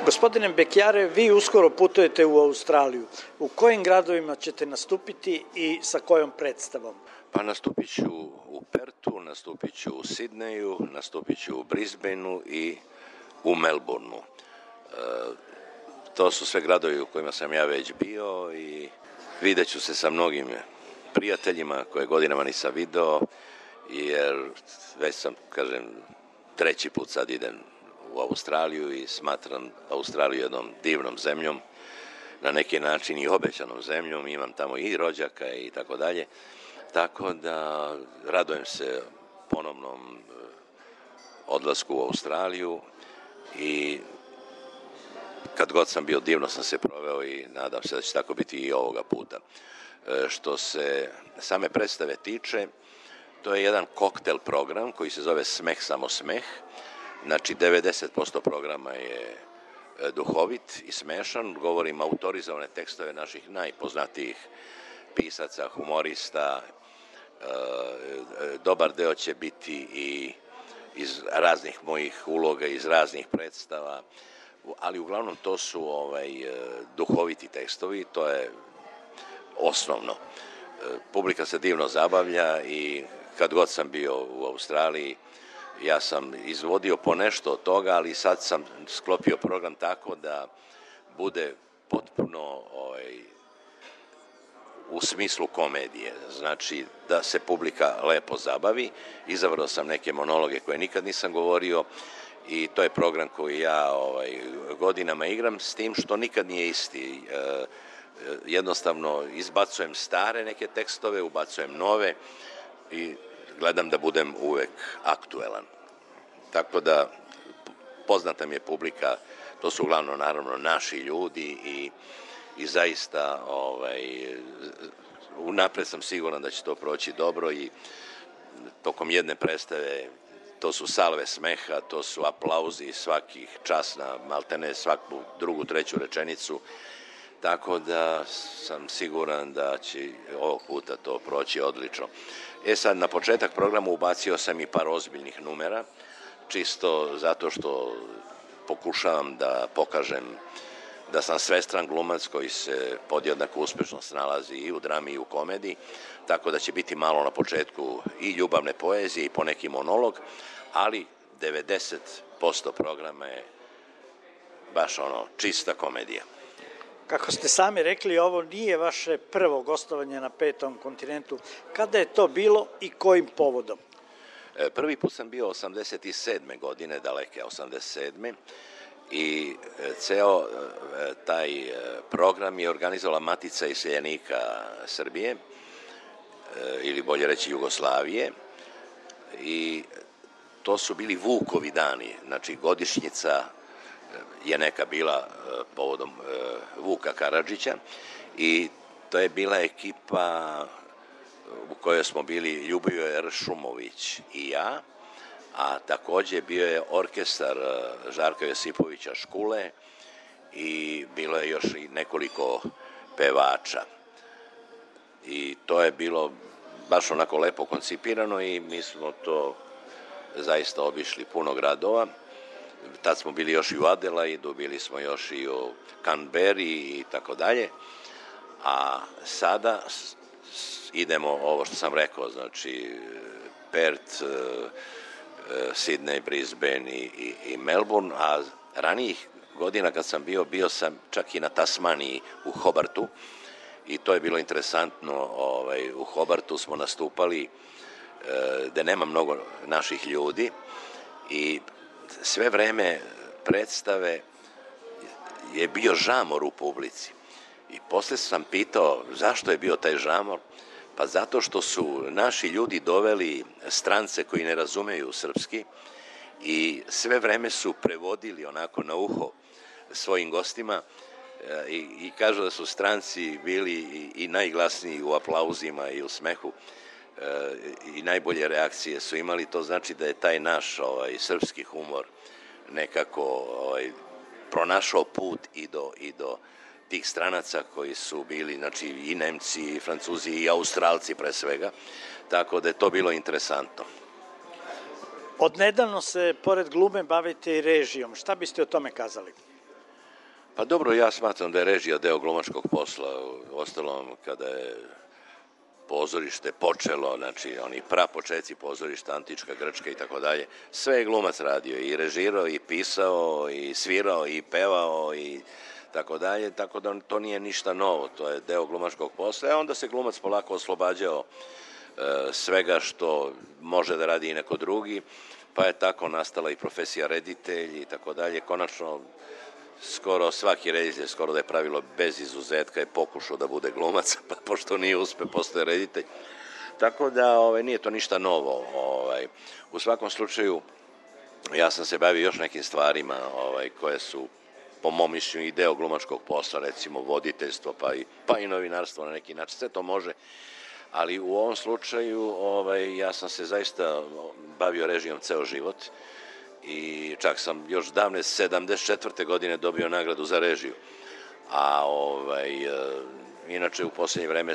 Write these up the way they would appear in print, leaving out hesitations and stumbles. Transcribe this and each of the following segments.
Gospodine Bekjare, vi uskoro putujete u Australiju. U kojim gradovima ćete nastupiti i sa kojom predstavom? Pa nastupit ću u Pertu, nastupit ću u Sidneju, nastupit ću u Brisbaneu i u Melbourneu. To su sve gradovi u kojima sam ja već bio i vidjet ću se sa mnogim prijateljima koje godinama nisam video, jer već sam, treći put sad idem u Australiju i smatram Australiju jednom divnom zemljom, na neki način i obećanom zemljom, imam tamo i rođaka i tako dalje, tako da radujem se ponovnom odlasku u Australiju i kad god sam bio divno sam se proveo i nadam se da će tako biti i ovoga puta. Što se same predstave tiče, to je jedan koktel program koji se zove Smeh samo smeh. Znači 90% programa je duhovit i smešan, govorim autorizovane tekstove naših najpoznatijih pisaca, humorista, dobar deo će biti i iz raznih mojih uloga, iz raznih predstava, ali uglavnom to su duhoviti tekstovi, to je osnovno. Publika se divno zabavlja i kad god sam bio u Australiji, ja sam izvodio po nešto od toga, ali sad sam sklopio program tako da bude potpuno u smislu komedije, znači da se publika lepo zabavi. Izabrao sam neke monologe koje nikad nisam govorio i to je program koji ja godinama igram, s tim što nikad nije isti. Jednostavno izbacujem stare neke tekstove, ubacujem nove i gledam da budem uvek aktuelan. Tako da poznata mi je publika, to su uglavnom naravno naši ljudi i zaista unapred sam siguran da će to proći dobro i tokom jedne predstave to su salve smeha, to su aplauzi svakih čas na maltene svaku drugu, treću rečenicu, tako da sam siguran da će ovog puta to proći odlično. Sad na početak programa ubacio sam i par ozbiljnih numera, čisto zato što pokušavam da pokažem da sam svestran glumac koji se podjednako uspešno snalazi i u drami i u komediji, tako da će biti malo na početku i ljubavne poezije i poneki monolog, ali 90% programa je baš čista komedija. Kako ste sami rekli, ovo nije vaše prvo gostovanje na Petom kontinentu. Kada je to bilo i kojim povodom? Prvi put sam bio 87. godine, daleke 87. I ceo taj program je organizovala Matica iseljenika Srbije, ili bolje reći Jugoslavije, i to su bili Vukovi dani, znači godišnjica je neka bila povodom Vuka Karadžića i to je bila ekipa u kojoj smo bili Ljubivoje Ršumović i ja, a takođe bio je orkestar Žarka Josipovića Škule i bilo je još i nekoliko pevača. I to je bilo baš onako lepo koncipirano i mi smo to zaista obišli puno gradova. Tad smo bili još i u Adelaidu, bili smo još i u Canberri i tako dalje. A sada idemo ovo što sam rekao, znači Perth, Sidney, Brisbane i Melbourne, a ranijih godina kad sam bio sam čak i na Tasmaniji u Hobartu i to je bilo interesantno. U Hobartu smo nastupali gde nema mnogo naših ljudi i sve vreme predstave je bio žamor u publici. I posle sam pitao zašto je bio taj žamor. Pa zato što su naši ljudi doveli strance koji ne razumeju srpski i sve vreme su prevodili onako na uho svojim gostima i kažu da su stranci bili i najglasniji u aplauzima i u smehu i najbolje reakcije su imali. To znači da je taj naš srpski humor nekako pronašao put i do tih stranaca koji su bili, znači i Nemci, i Francuzi, i Australci pre svega, tako da je to bilo interesantno. Odnedavno se, pored glume, bavite i režijom. Šta biste o tome kazali? Pa dobro, ja smatram da je režija deo glumačkog posla. Ostalom, kada je pozorište počelo, znači oni prapočeci pozorišta, antička, grčka i tako dalje, sve je glumac radio, i režirao, i pisao, i svirao, i pevao, i tako dalje, tako da to nije ništa novo, to je deo glumačkog posla, a onda se glumac polako oslobađao svega što može da radi i neko drugi, pa je tako nastala i profesija reditelj i tako dalje. Konačno, skoro svaki reditelj, skoro da je pravilo bez izuzetka, je pokušao da bude glumac, pa pošto nije uspe, postoje reditelj. Tako da nije to ništa novo. U svakom slučaju, ja sam se bavio još nekim stvarima koje su, po mom mišljenju, i deo glumačkog posla, recimo voditeljstvo, pa i novinarstvo na neki način, sve to može. Ali u ovom slučaju ja sam se zaista bavio režijom ceo život i čak sam još davne 74. godine dobio nagradu za režiju. A inače u posljednje vreme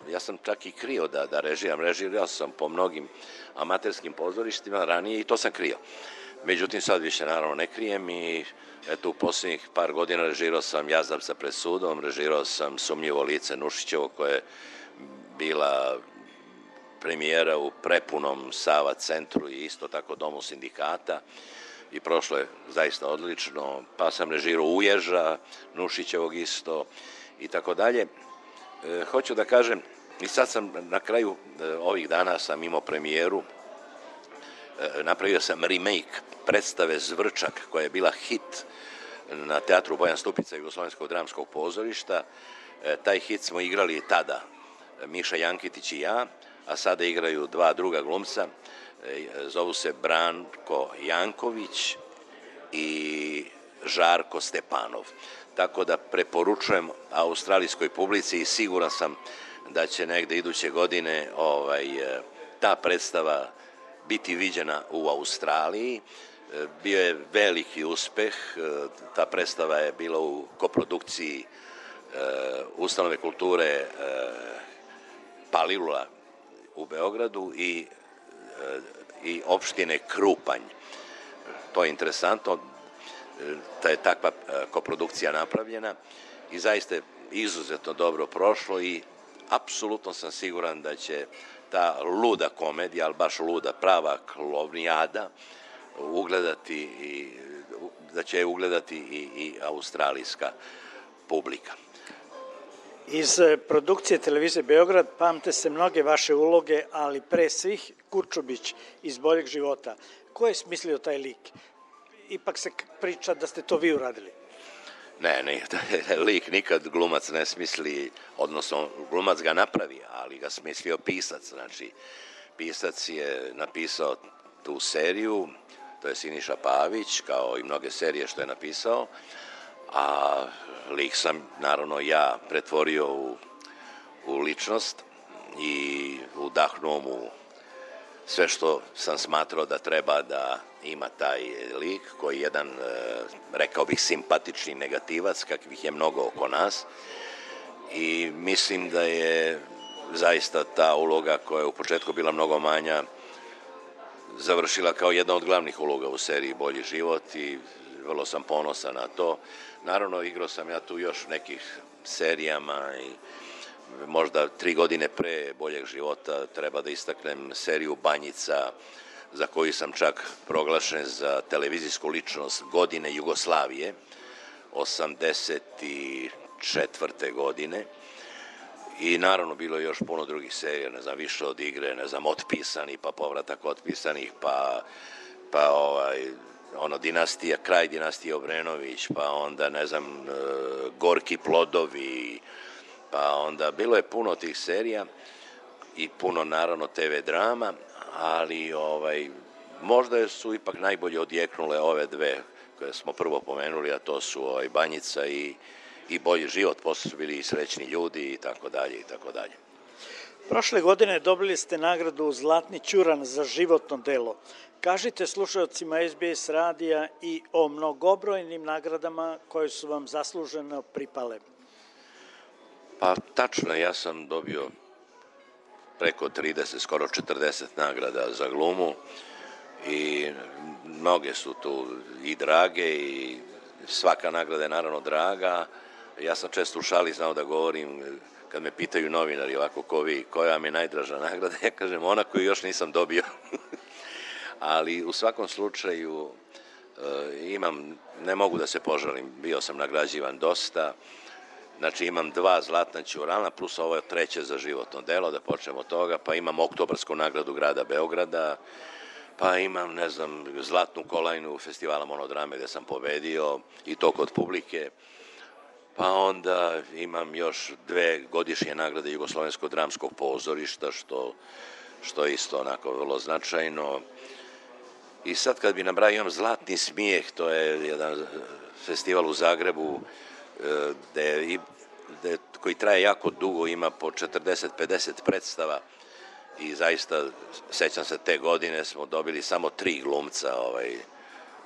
ja sam čak i krio da režirao sam po mnogim amaterskim pozorištima ranije i to sam krio. Međutim, sad više naravno ne krijem i eto u posljednjih par godina režirao sam Jazavca pred sudom, režirao sam Sumnjivo lice Nušićevo, koje je bila premijera u prepunom Sava centru i isto tako Domu sindikata i prošlo je zaista odlično, pa sam režirao Uježa, Nušićevog isto i tako dalje. Hoću da kažem, i sad sam na kraju ovih dana sam imao premijeru, napravio sam remake predstave Zvrčak, koja je bila hit na teatru Bojan Stupica Jugoslovenskog dramskog pozorišta. Taj hit smo igrali tada, Miša Jankitić i ja, a sada igraju dva druga glumca, zovu se Branko Janković i Žarko Stepanov. Tako da preporučujem australijskoj publici i siguran sam da će negde iduće godine ta predstava biti viđena u Australiji. Bio je veliki uspeh, ta predstava je bila u koprodukciji Ustanove kulture Palilula u Beogradu i opštine Krupanj. To je interesantno, da je takva koprodukcija napravljena i zaista je izuzetno dobro prošlo i apsolutno sam siguran da će ta luda komedija, ali baš luda, prava klovnijada, da će je ugledati i australijska publika. Iz produkcije televizije Beograd pamte se mnoge vaše uloge, ali pre svih Kurčubić iz Boljeg života. Ko je smislio taj lik? Ipak se priča da ste to vi uradili. Ne, lik nikad glumac ne smisli, odnosno glumac ga napravi, ali ga smislio pisac. Znači, pisac je napisao tu seriju, to je Siniša Pavić, kao i mnoge serije što je napisao, a lik sam, naravno, ja pretvorio u ličnost i udahnuo mu sve što sam smatrao da treba da ima taj lik, koji je jedan, rekao bih, simpatični negativac, kakvih je mnogo oko nas. I mislim da je zaista ta uloga, koja je u početku bila mnogo manja, završila kao jedna od glavnih uloga u seriji Bolji život i vrlo sam ponosan na to. Naravno, igrao sam ja tu još nekih serijama i možda 3 godine pre Boljeg života treba da istaknem seriju Banjica, za koju sam čak proglašen za televizijsku ličnost godine Jugoslavije, 1984. godine. I naravno bilo je još puno drugih serija, ne znam, Više od igre, ne znam, Otpisani, pa Povratak otpisanih, pa Dinastija, kraj dinastije Obrenović, pa onda, ne znam, Gorki plodovi, pa onda bilo je puno tih serija i puno, naravno, TV drama, ali možda su ipak najbolje odjeknule ove dve koje smo prvo pomenuli, a to su Banjica i Bolji život, posle su bili i Srećni ljudi i tako dalje i tako dalje. Prošle godine dobili ste nagradu Zlatni ćuran za životno delo. Kažite slušalcima SBS radija i o mnogobrojnim nagradama koje su vam zasluženo pripale. Pa tačno, ja sam dobio preko 30, skoro 40 nagrada za glumu i mnoge su tu i drage i svaka nagrada je naravno draga. Ja sam često u šali znao da govorim, kad me pitaju novinari ovako ko vi, koja vam je najdraža nagrada, ja kažem ona koju još nisam dobio. Ali u svakom slučaju ne mogu da se požalim, bio sam nagrađivan dosta, znači imam 2 zlatna ćurana plus ovo je 3. za životno delo, da počnemo od toga, pa imam oktobarsku nagradu grada Beograda, pa imam, ne znam, zlatnu kolajnu festivala monodrame gde sam pobedio i to kod publike, pa onda imam još 2 godišnje nagrade Jugoslovenskog dramskog pozorišta, što je isto onako vrlo značajno. I sad kad bi nabrajao, imam Zlatni smijeh, to je jedan festival u Zagrebu koji traje jako dugo, ima po 40-50 predstava i zaista, sećam se, te godine smo dobili samo 3 glumca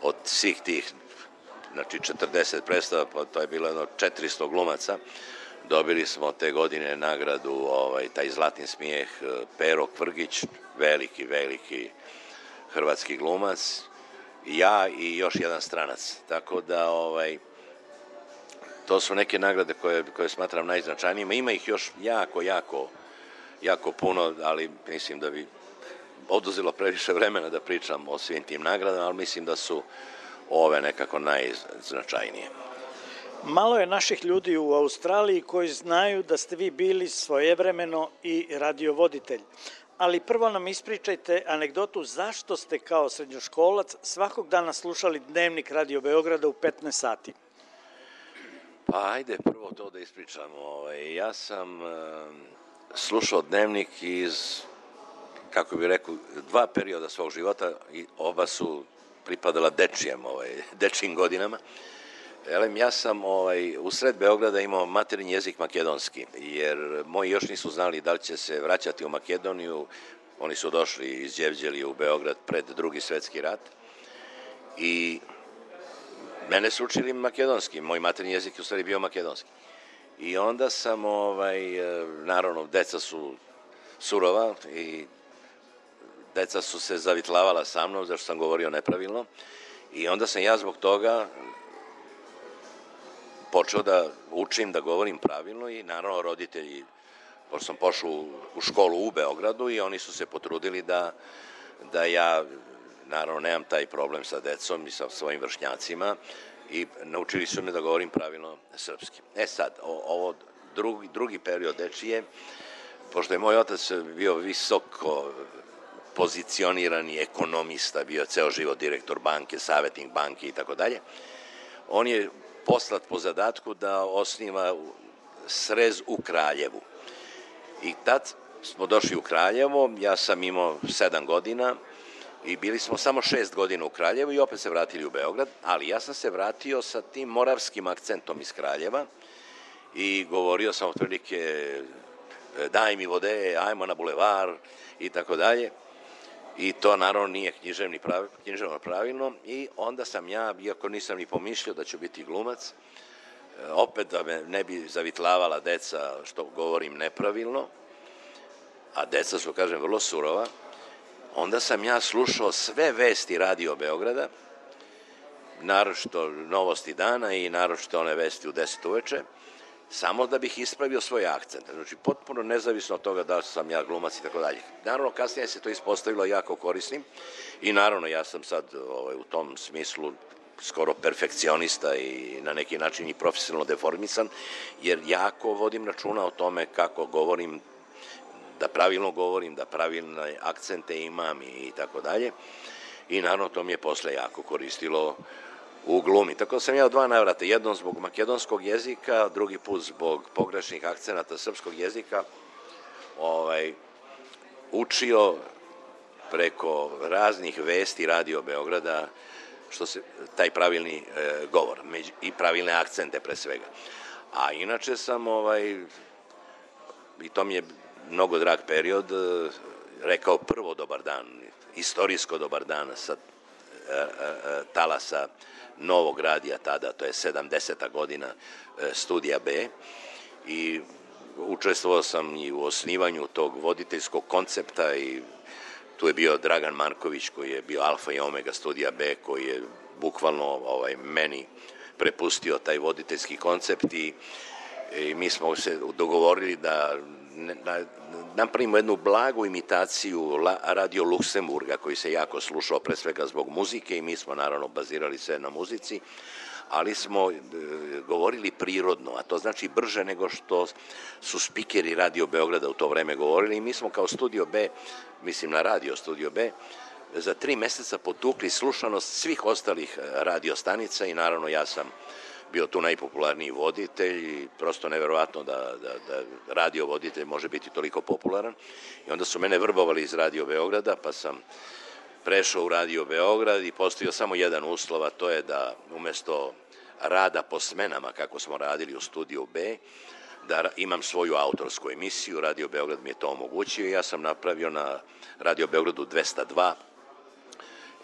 od svih tih, znači 40 predstava, pa to je bilo jedno 400 glumaca. Dobili smo te godine nagradu, taj Zlatni smijeh, Pero Kvrgić, veliki hrvatski glumac, ja i još jedan stranac. Tako da, to su neke nagrade koje smatram najznačajnijima. Ima ih još jako puno, ali mislim da bi oduzelo previše vremena da pričam o svim tim nagradama, ali mislim da su ove nekako najznačajnije. Malo je naših ljudi u Australiji koji znaju da ste vi bili svojevremeno i radiovoditelj. Ali prvo nam ispričajte anegdotu zašto ste kao srednjoškolac svakog dana slušali Dnevnik Radio Beograda u 15 sati. Pa ajde prvo to da ispričam. Ja sam slušao Dnevnik iz, kako bih rekao, 2 perioda svog života i oba su pripadala dečijim godinama. Ja sam u sred Beograda imao materinji jezik makedonski, jer moji još nisu znali da li će se vraćati u Makedoniju. Oni su došli iz Đevđelije u Beograd pred Drugi svetski rat i mene su učili makedonski, moj materinji jezik je u stvari bio makedonski. I onda sam, naravno, deca su surova i deca su se zavitlavala sa mnom, zašto sam govorio nepravilno. I onda sam ja zbog toga počeo da učim da govorim pravilno i naravno roditelji, pošto sam pošao u školu u Beogradu i oni su se potrudili da ja, naravno, nemam taj problem sa decom i sa svojim vršnjacima i naučili su me da govorim pravilno srpski. Sad, ovo drugi period dečije, pošto je moj otac bio visoko pozicionirani ekonomista, bio ceo život direktor banke, savjetnik banke i tako dalje, on je poslat po zadatku da osniva srez u Kraljevu. I tad smo došli u Kraljevo, ja sam imao 7 godina i bili smo samo 6 godina u Kraljevu i opet se vratili u Beograd, ali ja sam se vratio sa tim moravskim akcentom iz Kraljeva i govorio sam otprilike daj mi vode, ajmo na bulevar i tako dalje. I to naravno nije književno pravilno i onda sam ja, iako nisam ni pomišljao da ću biti glumac, opet da me ne bi zavitlavala deca što govorim nepravilno, a deca su, kažem, vrlo surova, onda sam ja slušao sve vesti Radio Beograda, naročito Novosti dana i naročito one vesti u 10 uveče, samo da bih ispravio svoj akcent. Znači, potpuno nezavisno od toga da sam ja glumac i tako dalje. Naravno, kasnije se to ispostavilo jako korisnim i naravno, ja sam sad u tom smislu skoro perfekcionista i na neki način i profesionalno deformisan, jer jako vodim računa o tome kako govorim, da pravilne akcente imam i tako dalje. I naravno, to mi je posle jako koristilo u glumi. Tako da sam ja u 2 navrata, jednom zbog makedonskog jezika, drugi put zbog pogrešnih akcenata srpskog jezika, učio preko raznih vesti Radio Beograda taj pravilni govor i pravilne akcente pre svega. A inače sam, i to mi je mnogo drag period, rekao prvo dobar dan, istorijsko dobar dan sa talasa Novog radija tada, to je 70. godina, Studija B, i učestvovao sam i u osnivanju tog voditeljskog koncepta i tu je bio Dragan Marković koji je bio alfa i omega Studija B, koji je bukvalno meni prepustio taj voditeljski koncept i mi smo se dogovorili da napravimo jednu blagu imitaciju Radio Luksemburga koji se jako slušao pre svega zbog muzike i mi smo naravno bazirali sve na muzici, ali smo govorili prirodno, a to znači brže nego što su spikeri Radio Beograda u to vreme govorili i mi smo kao Studio B, mislim na Radio Studio B, za 3 meseca potukli slušanost svih ostalih radio stanica i naravno ja sam bio tu najpopularniji voditelj i prosto neverovatno da radio voditelj može biti toliko popularan. I onda su mene vrbovali iz Radio Beograda, pa sam prešao u Radio Beograd i postavio samo jedan uslov, a to je da umesto rada po smenama, kako smo radili u Studiju B, da imam svoju autorsku emisiju. Radio Beograd mi je to omogućio i ja sam napravio na Radio Beogradu 202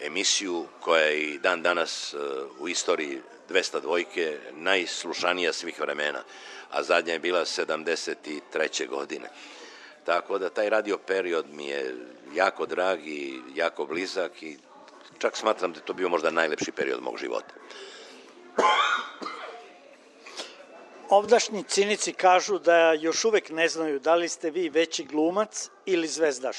emisiju koja je i dan danas u istoriji 202 najslušanija svih vremena, a zadnja je bila 73. godine. Tako da taj radio period mi je jako drag i jako blizak i čak smatram da je to bio možda najlepši period mog života. Ovdašnji cinici kažu da još uvek ne znaju da li ste vi veći glumac ili zvezdaš.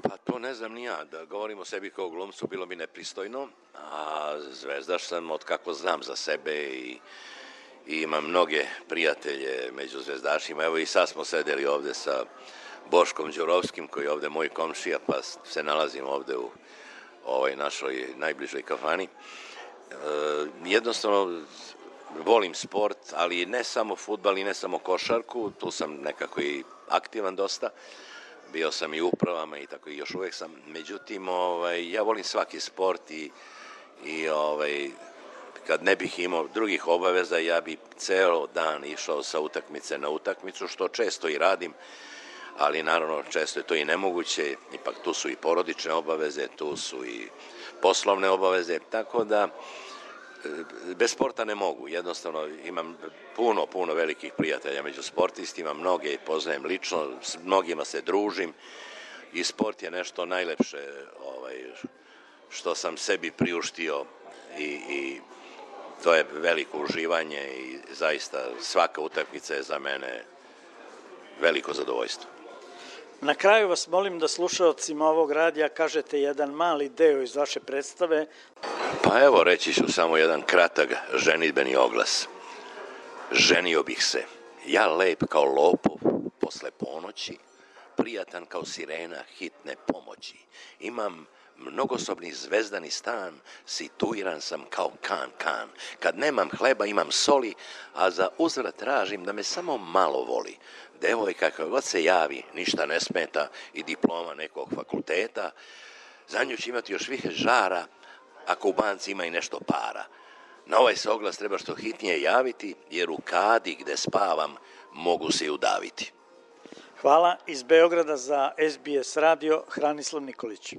Pa to ne znam ni ja, da govorim o sebi kao glumcu bilo bi nepristojno, a zvezdaš sam od kako znam za sebe i imam mnoge prijatelje među zvezdašima. Evo i sad smo sedeli ovde sa Boškom Đurovskim koji je ovde moj komšija, pa se nalazimo ovde u ovoj našoj najbližoj kafani. Jednostavno volim sport, ali ne samo fudbal i ne samo košarku, tu sam nekako i aktivan dosta. Bio sam i u upravama i tako i još uvek sam. Međutim, ja volim svaki sport i kad ne bih imao drugih obaveza, ja bi ceo dan išao sa utakmice na utakmicu, što često i radim, ali naravno često je to i nemoguće, ipak tu su i porodične obaveze, tu su i poslovne obaveze, tako da bez sporta ne mogu. Jednostavno imam puno velikih prijatelja među sportistima, mnoge poznajem lično, s mnogima se družim i sport je nešto najlepše što sam sebi priuštio i to je veliko uživanje i zaista svaka utakmica je za mene veliko zadovoljstvo. Na kraju vas molim da slušalcima ovog radija kažete jedan mali deo iz vaše predstave. Pa evo, reći ću samo jedan kratak ženidbeni oglas. Ženio bih se, ja lep kao lopov posle ponoći, prijatan kao sirena hitne pomoći. Imam mnogosobni zvezdani stan, situiran sam kao kan. Kad nemam hleba imam soli, a za uzvrat tražim da me samo malo voli. Devojka kako god se javi, ništa ne smeta i diploma nekog fakulteta. Za nju će imati još više žara, ako u banci ima i nešto para. Na ovaj se oglas treba što hitnije javiti, jer u kadi gde spavam mogu se i udaviti. Hvala. Iz Beograda za SBS radio, Hranislav Nikolić.